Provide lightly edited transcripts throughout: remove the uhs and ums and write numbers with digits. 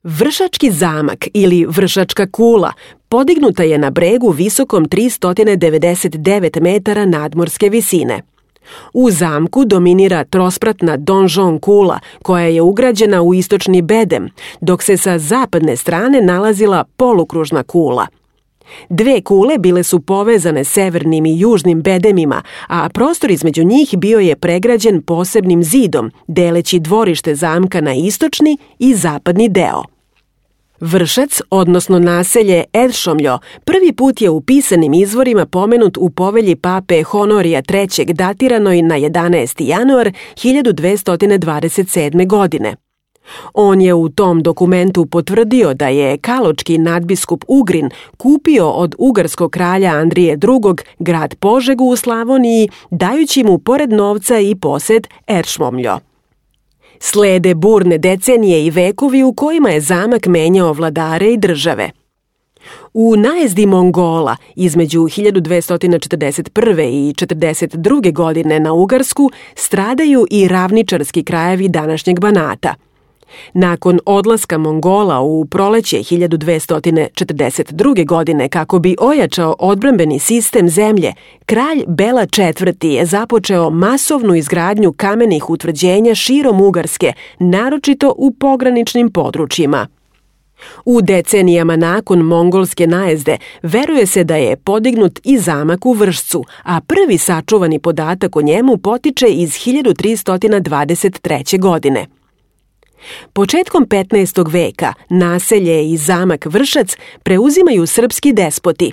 Vršački zamak ili Vršačka kula podignuta je na bregu visokom 399 metara nadmorske visine. U zamku dominira trospratna donžon kula koja je ugrađena u istočni bedem, dok se sa zapadne strane nalazila polukružna kula. Dve kule bile su povezane severnim i južnim bedemima, a prostor između njih bio je pregrađen posebnim zidom, deleći dvorište zamka na istočni i zapadni deo. Vršac, odnosno naselje Edšomljo, prvi put je u pisanim izvorima pomenut u povelji pape Honorija III. Datiranoj na 11. januar 1227. godine. On je u tom dokumentu potvrdio da je kaločki nadbiskup Ugrin kupio od ugarskog kralja Andrije II. Grad Požegu u Slavoniji, dajući mu pored novca i posed Edšomljo. Slede burne decenije i vekovi u kojima je zamak menjao vladare i države. U najezdi Mongola između 1241. i 42. godine na Ugarsku stradaju i ravničarski krajevi današnjeg Banata. Nakon odlaska Mongola u proleće 1242. godine kako bi ojačao odbrambeni sistem zemlje, kralj Bela IV. Je započeo masovnu izgradnju kamenih utvrđenja širom Ugarske, naročito u pograničnim područjima. U decenijama nakon mongolske najezde veruje se da je podignut i zamak u Vršcu, a prvi sačuvani podatak o njemu potiče iz 1323. godine. Početkom 15. veka naselje i zamak Vršac preuzimaju srpski despoti.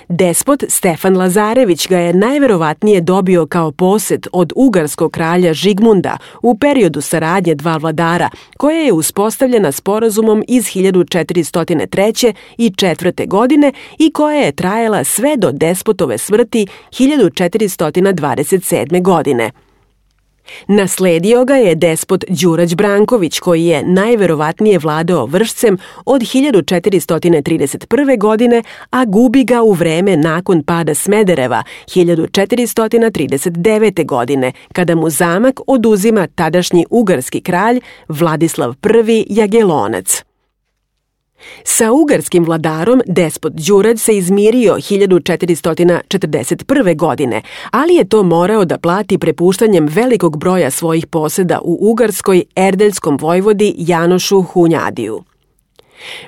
Despot Stefan Lazarević ga je najverovatnije dobio kao posed od ugarskog kralja Žigmunda u periodu saradnje dva vladara, koja je uspostavljena sporazumom iz 1403. i 4. godine i koja je trajala sve do despotove smrti 1427. godine. Nasledio ga je despot Đurać Branković, koji je najverovatnije vladao Vršcem od 1431. godine, a gubi ga u vreme nakon pada Smedereva 1439. godine, kada mu zamak oduzima tadašnji ugarski kralj Vladislav I Jagelonac. Sa ugarskim vladarom despot Đurać se izmirio 1441. godine, ali je to morao da plati prepuštanjem velikog broja svojih poseda u Ugarskoj erdeljskom vojvodi Janošu Hunjadiju.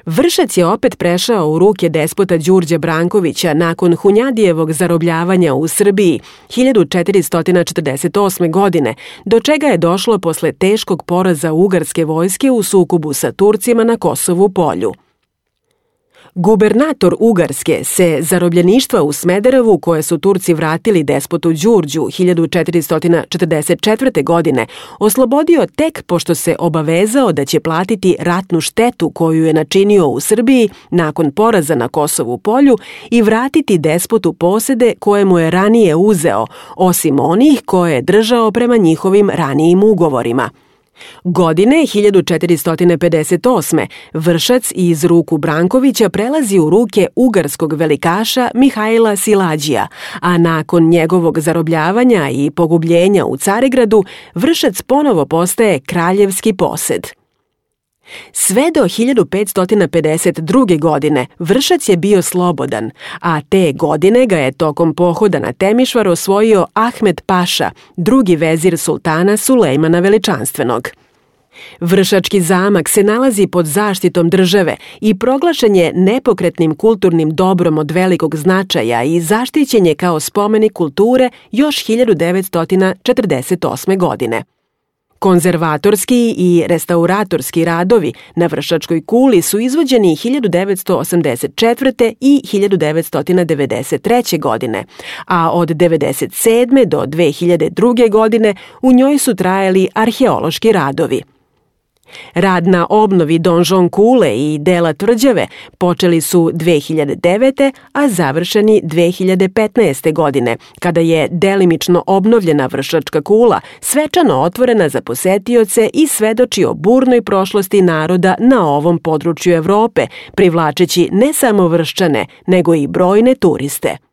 Vršac je opet prešao u ruke despota Đurđa Brankovića nakon Hunjadijevog zarobljavanja u Srbiji 1448. godine, do čega je došlo posle teškog poraza ugarske vojske u sukobu sa Turcima na Kosovu polju. Gubernator Ugarske se zarobljeništva u Smederevu, koje su Turci vratili despotu Đurđu 1444. godine, oslobodio tek pošto se obavezao da će platiti ratnu štetu koju je načinio u Srbiji nakon poraza na Kosovu polju i vratiti despotu posede koje mu je ranije uzeo, osim onih koje je držao prema njihovim ranijim ugovorima. Godine 1458. Vršac iz ruku Brankovića prelazi u ruke ugarskog velikaša Mihajla Silađija, a nakon njegovog zarobljavanja i pogubljenja u Carigradu, Vršac ponovo postaje kraljevski posed. Sve do 1552. godine Vršac je bio slobodan, a te godine ga je tokom pohoda na Temišvar osvojio Ahmed Paša, drugi vezir sultana Sulejmana Veličanstvenog. Vršački zamak se nalazi pod zaštitom države i proglašen je nepokretnim kulturnim dobrom od velikog značaja i zaštićen je kao spomenik kulture još 1948. godine. Konzervatorski i restauratorski radovi na Vršačkoj kuli su izvođeni 1984. i 1993. godine, a od 1997. do 2002. godine u njoj su trajali arheološki radovi. Rad na obnovi donžon kule i dela tvrđave počeli su 2009. a završeni 2015. godine, kada je delimično obnovljena Vršačka kula svečano otvorena za posetioce i svedoči o burnoj prošlosti naroda na ovom području Evrope, privlačeći ne samo Vrščane, nego i brojne turiste.